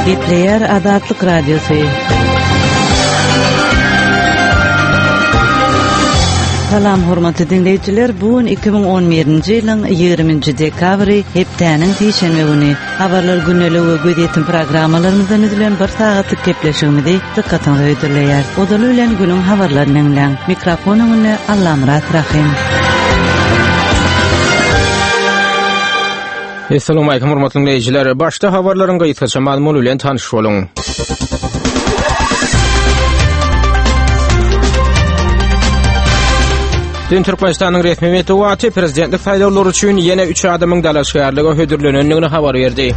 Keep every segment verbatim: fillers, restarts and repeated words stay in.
Gepleýär Azatlyk Radiosy. Salam hormatly diňleýjiler, bu gün iki müň on birinji ýylyň ýigriminji dekabry, hepdäniň sişenbe güni. Habarlar gündelik we gözýetim programmalarymyzdan düzülen bir sagatlyk gepleşigimizi dykgatyňyza hödürleýär. Ozaly bilen günüň habarlaryny diňläň. Mikrofon öňünde Allamyrat Rahim. Assalamu alaykum hormatly dinleýjiler. Başda habarlaryň gysgaça mazmuny bilen tanyş boluň. Dün Türkmenistanyň resmi metbugaty prezidentlik saýlawlary üçin ýene üç adamyň dalaşgärlige hödürlenendigini habar berdi.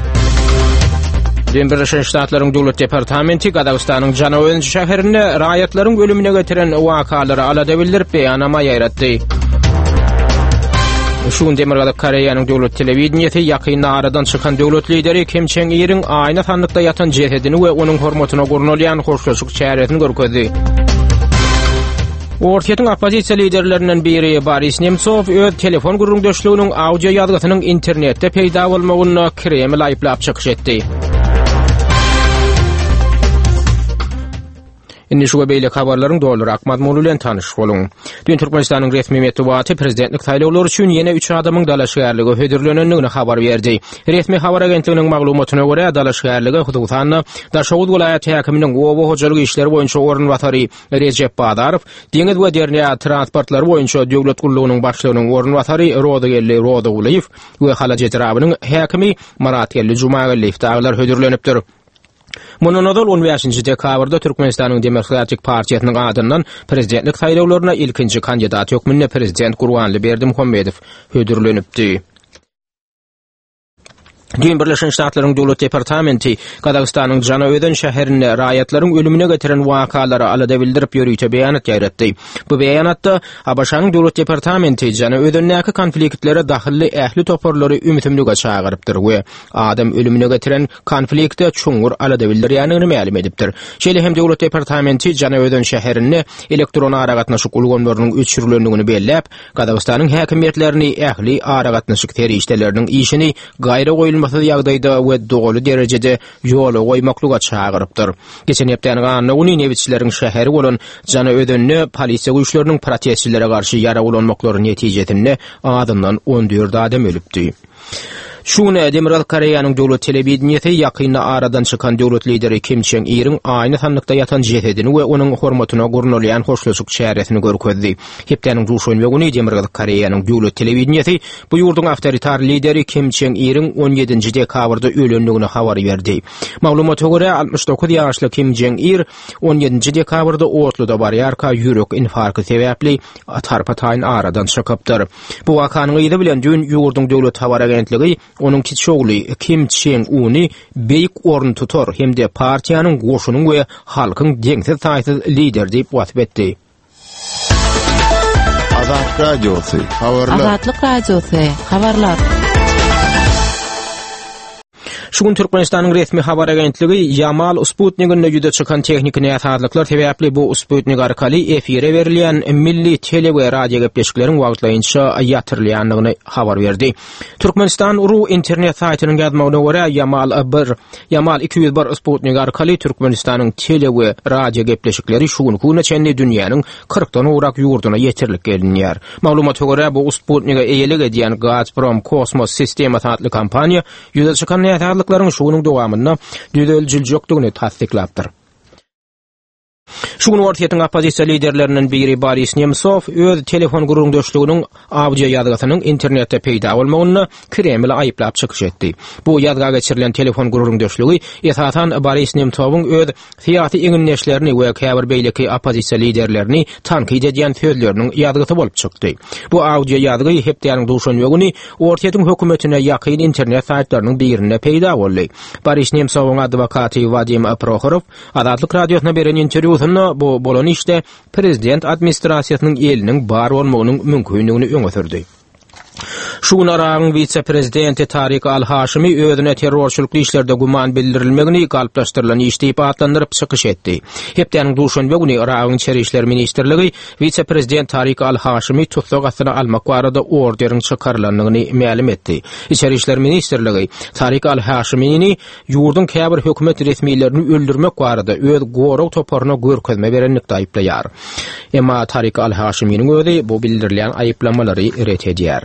Dün Birleşen Ştatlaryň Döwlet Departamenti Gazagystanyň Janaozen şäherinde raýatlaryň ölümine getiren wakalara alada bildirip beýannama ýaýratdy. Şu gün Demirgazyk Koreýanyň döwlet telewideniýesi ýakynda aradan çykan döwlet lideri Kim Çen Iriň aýna sandykda ýatan jesedini we onuň hormatyna gurnalýan hoşlaşyk çäresini görkezdi. Orsýetiň oppozisiýa liderlerinden biri Boris Nemtsov öz telefon gürrüňdeşliginiň audio ýazgysynyň internetde peýda bolmagynda Kreml aýyplap çykyş etdi. Indi şu we beýleki habarlaryň dolurak mazmuny bilen tanyş boluň. Dün Türkmenistanyň resmi metbugaty prezidentlik saýlawlary üçin ýene üç adamyň dalaşgärlige hödürlenendigini habar berdi. Resmi habar agentliginiň maglumatyna görä, dalaşgärlige hususan-da Daşoguz welaýat häkiminiň oba hojalyk işleri boýunça orunbasary Rejep Bazarow, deňiz we derýa transportlary boýunça döwlet gullugynyň başlygynyň orunbasary Rozygeldi Rozygulyýew we Halaç etrabynyň häkimi Myratgeldi Jumageldiýew dagylar hödürlenipdir. Mundan ozal on bäşinji dekabrda Türkmenistanyň Demokratik partiýasynyň adyndan prezidentlik saýlawlaryna ilkinji kandidat hökmünde prezident Gurbanguly Berdimuhamedow hödürlenipdi. Dün Birleşen Ştatlaryň Döwlet Departamenti Gazagystanyň Janaözen şäherinde raýatlaryň ölümine getiren wakalara alada bildirip ýörite beýanat ýaýratdy. Bu beýanatda A B Ş-nyň Döwlet Departamenti Janaözendäki konfliktlere dahylly ähli toparlary ümsümlige çagyrypdyr we adam ölümine getiren konflikte çuňňur alada bildirýändigini mälim edipdir. Şeýle hem Döwlet Departamenti Janaözen şäherinde elektron aragatnaşyk ulgamlarynyň öçürilendigini belläp, Gazagystanyň häkimiýetlerini ähli aragatnaşyk serişdeleriniň işini gaýra goýulmasyz ýagdaýda we doly derejede ýola goýmaklyga çagyrypdyr. Geçen hepdäniň anna güni nebitçileriň şäheri bolan Janaözende polisiýa güýçleriniň protestçilere garşy ýara ulanmaklary netijesinde azyndan on dört adam ölüpdi. Şu gün Demirgazyk Koreýanyň döwlet telewideniýesi ýakynda aradan çykan döwlet lideri Kim Çen Iriň aýna sandykda ýatan jesedini we onuň hormatyna gurnalýan hoşlaşyk çäresini görkezdi. Hepdäniň duşenbe güni Demirgazyk Koreýanyň döwlet telewideniýesi bu ýurduň awtoritar lideri Kim Çen Iriň on ýedinji dekabrda ölendigini habar berdi. Maglumata görä, altmyş dokuz ýaşly Kim Çen Ir on ýedinji dekabrda otluda barýarka ýürek infarkty sebäpli tarpa-taýyn aradan çykypdyr. Bu wakanyň yzy bilen dün ýurduň döwlet habar agentligi onuň kiçi ogly Kim Çen Uny beýik orun tutar hem-de partiýanyň, goşunyň we halkyň deňsiz-taýsyz lideri diýip wasp etdi. Azatlyk Radiosy, habarlar. Azatlyk Radiosy, habarlar. Şu gün Türkmenistanyň resmi habar agentligi Ýamal Sputnikinde ýüze çykan tehniki näsazlyklar sebäpli bu Sputnik arkaly efire berilýän milli tele we radio gepleşikleriň wagtlaýynça ýatyrylýandygyny habar berdi. Türkmenistan ru internet saýtynyň ýazmagyna görä, Ýamal bir, Ýamal iki ýüz bir Sputnik arkaly Türkmenistanyň tele we radio gepleşikleri şu günki güne çenli dünýäniň kyrkdan gowrak ýurduna ýetirilip gelinýär. Maglumata görä, bu Sputnike eýelik edýän Gazprom Kosmos sistemasy atly kompaniýa ýüze çykan näsazlyklaryň şu günüň dowamynda düzeljiljekdigini tassyklapdyr. Şu gün Orsýetiň oppozisiýa liderlerinden biri Boris Nemtsov öz telefon gürrüňdeşliginiň audio ýazgysynyň internetde peýda bolmagynda Kremli aýyplap çykyş etdi. Bu ýazga geçirilen telefon gürrüňdeşligi esasan Boris Nemtsowyň öz syýasy egindeşlerini we käbir beýleki oppozisiýa liderlerini tankyt edýän sözleriniň ýazgysy bolup çykdy. Bu audio ýazgy hepdäniň duşenbe güni Orsýetiň hökümetine ýakyn internet saýtlarynyň birinde peýda boldy. Boris Nemtsowyň adwokaty Wadim Prohorow Azatlyk Radiosyna beren interwýusynda bu bolan işde prezident administrasiýasynyň eliniň bar bolmagynyň mümkindigini öňe sürdi. Şu gün Yragyň wise-prezidenti Tarik Al-Haşimi özüne terrorçylykly işlerde güman bildirilmegini galplaşdyrylan iş diýip atlandyryp çykyş etdi. Hepdäniň duşenbe güni Yragyň İçeri İşler Ministrligi wise-prezident Tarik Al-Haşimi tussag astyna almak barada orderiň çykarylandygyny mälim etdi. İçeri İşler Ministrligi Tarik Al-Haşimini ýurduň käbir hökümet resmilerini öldürmek barada öz gorag toparyna görkezme berenlikde aýyplaýar. Emma Tarik Al-Haşiminiň özi bu bildirilýän aýyplamalary ret edýär.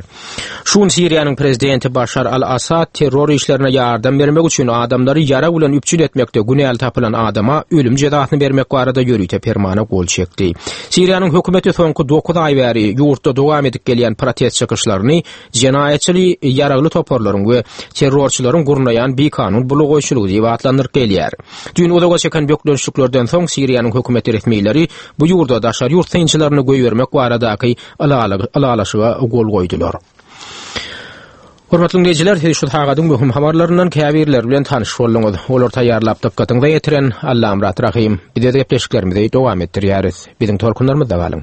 Şu gün Siriýanyň prezidenti Başar al-Assad terror işlerine ýardam bermek üçin adamlary ýarag bilen üpjün etmekde günäli tapylan adama ölüm jezasyny bermek barada ýörite permana gol çekdi. Siriýanyň hökümeti soňky dokuz aý bäri ýurtda dowam edip gelýän protest çykyşlaryny jenaýatçyly ýaragly toparlaryň we terrorçylaryň gurnaýan bikanun bulugoýçulygy diýip atlandyryp gelýär. Düýn uzaga çeken bökdençliklerden soň Siriýanyň hökümeti resmileri bu ýurda daşary ýurt synçylaryny goýbermek baradaky ylalaşyga gol goýdular. Hormatly dinleýjiler, siz şu sagadyň möhüm habarlaryndan käbirleri bilen tanyş bolduňyz. Olar taýýarlap dykgatyňyza ýetiren Allamyrat Rahim. Biz öz gepleşiklerimizi dowam etdirýäris. Biziň tolkunlarymyzda galyň.